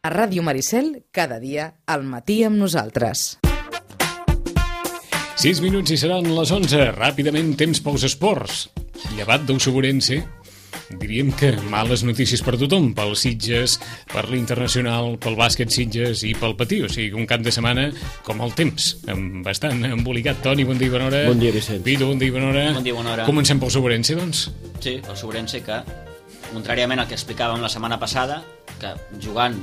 A Ràdio Maricel, cada dia, al matí amb nosaltres. 6 minuts i seran les 11. Ràpidament, temps pels esports. Llevat del Soborense, diríem que males notícies per tothom, pels Sitges, per l'Internacional, pel bàsquet Sitges i pel Patí. O sigui, un cap de setmana com el temps, bastant embolicat. Toni, bon dia i bona hora. Bon dia, Vicent. Vito, bon dia i bona hora. Bon dia i bona hora. Comencem pel Soborense, doncs? Sí, el Soborense que, contràriament al que explicàvem la setmana passada, que jugant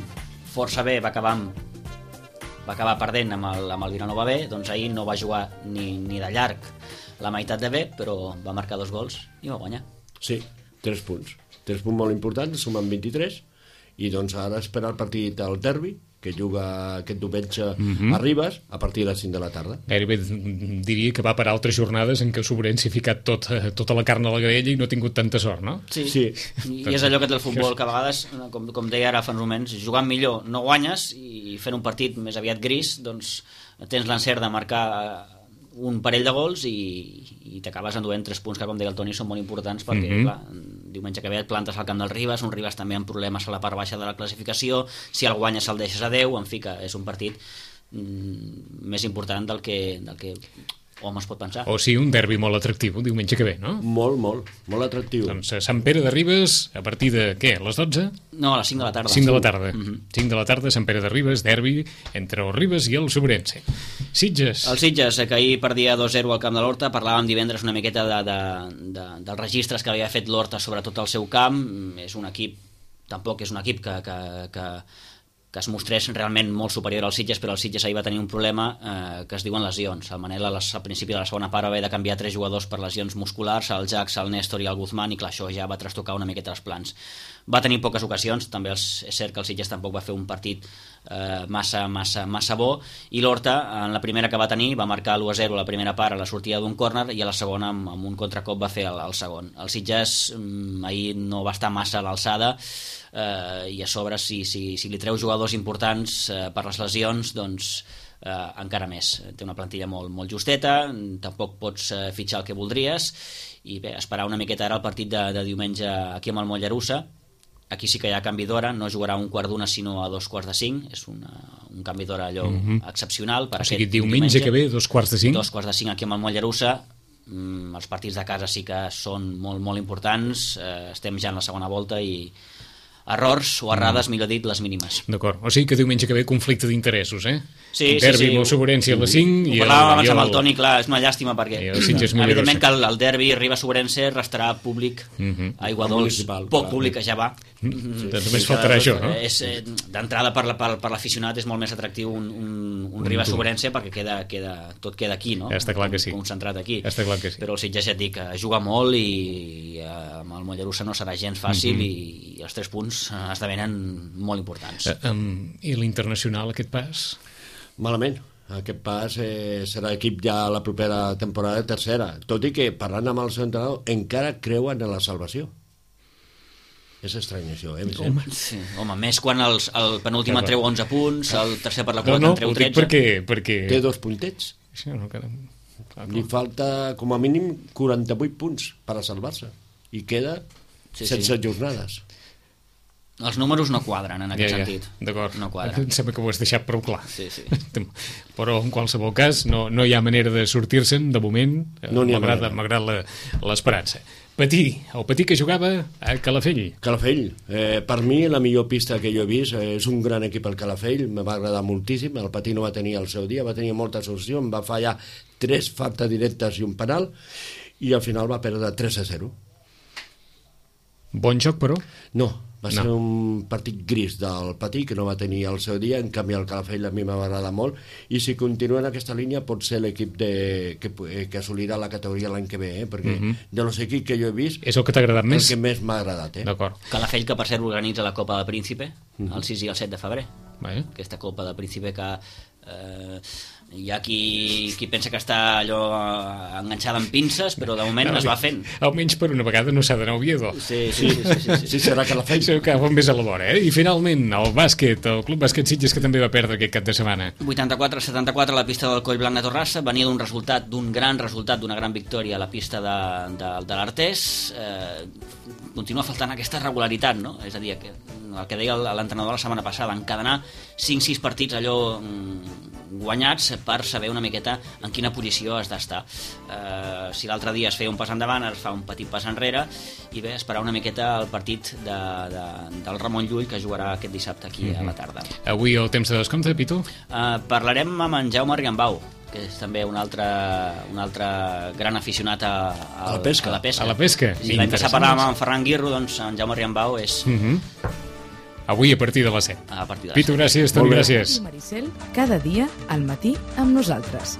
força bé va acabar perdent amb el Vilanova B, doncs ahir no va jugar ni de llarg la meitat de bé, però va marcar 2 gols i va guanyar. Sí, 3 punts. 3 punts molt importants, sumen 23, i doncs ara esperar el partit al derbi, que juga aquest diumenge a Ribes, a partir de les 5 de la tarda. Gairebé diria que va per altres jornades en què el Soborense ha ficat tota la carn a la graella i no ha tingut tanta sort, no? Sí. I és allò que té el futbol, que a vegades, com deia ara fa uns moments, jugant millor no guanyes, i fent un partit més aviat gris, doncs tens l'encert de marcar un parell de gols i t'acabes enduent 3 punts que, com deia el Toni, són molt importants perquè, clar, diumenge que ve et plantes al camp del Ribes, un Ribes també amb problemes a la part baixa de la classificació, si el guanyes el deixes a 10, en fi, que és un partit més important del que hom es pot pensar. O sigui, un derbi molt atractiu, diumenge que ve, no? Molt atractiu. Doncs Sant Pere de Ribes, a partir de, què, a les 12? No, a les 5 de la tarda. 5 de la tarda. 5 de la tarda, Sant Pere de Ribes, derbi entre el Ribes i el Soborense. Sitges. El Sitges, que ahir perdia 2-0 al camp de l'Horta. Parlàvem divendres una miqueta dels registres que havia fet l'Horta sobre tot el seu camp. És un equip, tampoc és un equip que es mostrés realment molt superior al Sitges, però el Sitges ahir va tenir un problema que es diuen lesions. El Manel al principi de la segona part va haver de canviar 3 jugadors per lesions musculars, el Jax, el Néstor i el Guzmán, i clar, això ja va trastocar una miqueta els plans. Va tenir poques ocasions, també és cert que el Sitges tampoc va fer un partit massa bo, i l'Horta, en la primera que va tenir, va marcar l'1-0 a la primera part a la sortida d'un córner, i a la segona, amb un contracop, va fer el segon. El Sitges ahir no va estar massa a l'alçada, i a sobre si li treu jugadors importants per les lesions, doncs encara més. Té una plantilla molt justeta, tampoc pots fitxar el que voldries, i bé, esperar una miqueta ara el partit de diumenge aquí amb el Mollerussa. Aquí sí que hi ha canvi d'hora, no jugarà a 1/4 sinó a 2:45, és un canvi d'hora allò excepcional per o sigui, aquest diumenge que ve, 2:45? 2:45 aquí amb el Mollerussa. Els partits de casa sí que són molt importants, estem ja en la segona volta i errors o errades, millor dit, les mínimes. D'acord, o sigui que diumenge que ve conflicte d'interessos, eh? Sí, derbi amb el Soborense a les 5 ho parlàvem abans amb el Toni, clar, és una llàstima perquè evidentment que el derbi Ribes-Soborense restarà públic a Iguadols, poc públic que ja va. Doncs només faltarà això, no? D'entrada per l'aficionat és molt més atractiu un Ribes-Soborense perquè tot queda aquí, no? Està clar que sí. Concentrat aquí. Està clar que sí. Però el Sitges, ja et dic, juga molt i amb el Mollerussa no serà gens fàcil i els 3 punts esdevenen molt importants. I l'Internacional, aquest pas? Malament. Aquest pas serà equip ja la propera temporada de tercera, tot i que, parlant amb el seu entrenador, encara creuen en la salvació. És estrany això, Home, més quan el penúltim en treu 11 punts, el tercer per la quota en treu 13. perquè... Té 2 puntets. Això no, li falta com a mínim 48 punts per a salvar-se i queda 16 jornades. Els números no quadren en aquest sentit. D'acord, no quadren. Em sembla que ho has deixat prou clar. Sí. Però en qualsevol cas no hi ha manera de sortir-se'n de moment, malgrat l'esperança. El Patí que jugava a Calafell. Per mi la millor pista que jo he vist, és un gran equip el Calafell, me va agradar moltíssim. El Patí no va tenir el seu dia, va tenir moltes solucions, va fallar 3 faltes directes i un penal, i al final va perdre 3-0. Bon joc, però? No, va ser un partit gris del Patí, que no va tenir el seu dia. En canvi el Calafell a mi m'ha agradat molt, i si continua en aquesta línia pot ser l'equip que assolirà la categoria l'any que ve, perquè de los equips que jo he vist és el que t'ha agradat més? El que més m'ha agradat. D'acord. Calafell, que per cert organitza la Copa del Príncipe el 6 i el 7 de febrer. Aquesta Copa del Príncipe que hi ha qui pensa que està allò enganxada amb pinces, però de moment es va fent. Almenys per una vegada no s'ha d'anar a Oviedo. Sí, serà que la feina. Sí, que va més a la vora, I finalment, el bàsquet, el Club Bàsquet Sitges, que també va perdre aquest cap de setmana. 84-74 a la pista del Collblanc de Torrassa, venia d'un gran resultat, d'una gran victòria a la pista de l'Artés. Continua faltant aquesta regularitat, no? És a dir, que el que deia l'entrenador la setmana passada, encadenar 5-6 partits allò guanyats per saber una miqueta en quina posició has d'estar. Si l'altre dia es feia un pas endavant, es fa un petit pas enrere, i bé, esperar una miqueta el partit del Ramon Llull, que jugarà aquest dissabte aquí a la tarda. Avui el temps de descompte, Pitu? Parlarem amb en Jaume Riambau, que és també un altre gran aficionat a la pesca. A la pesca. Si l'any passat parlàvem amb Ferran Guirro, doncs en Jaume Riambau és... Avui a partir de les 7. A partir de les 7. Pitu, gràcies, Toni, gràcies. Maricel, cada dia al matí amb nosaltres.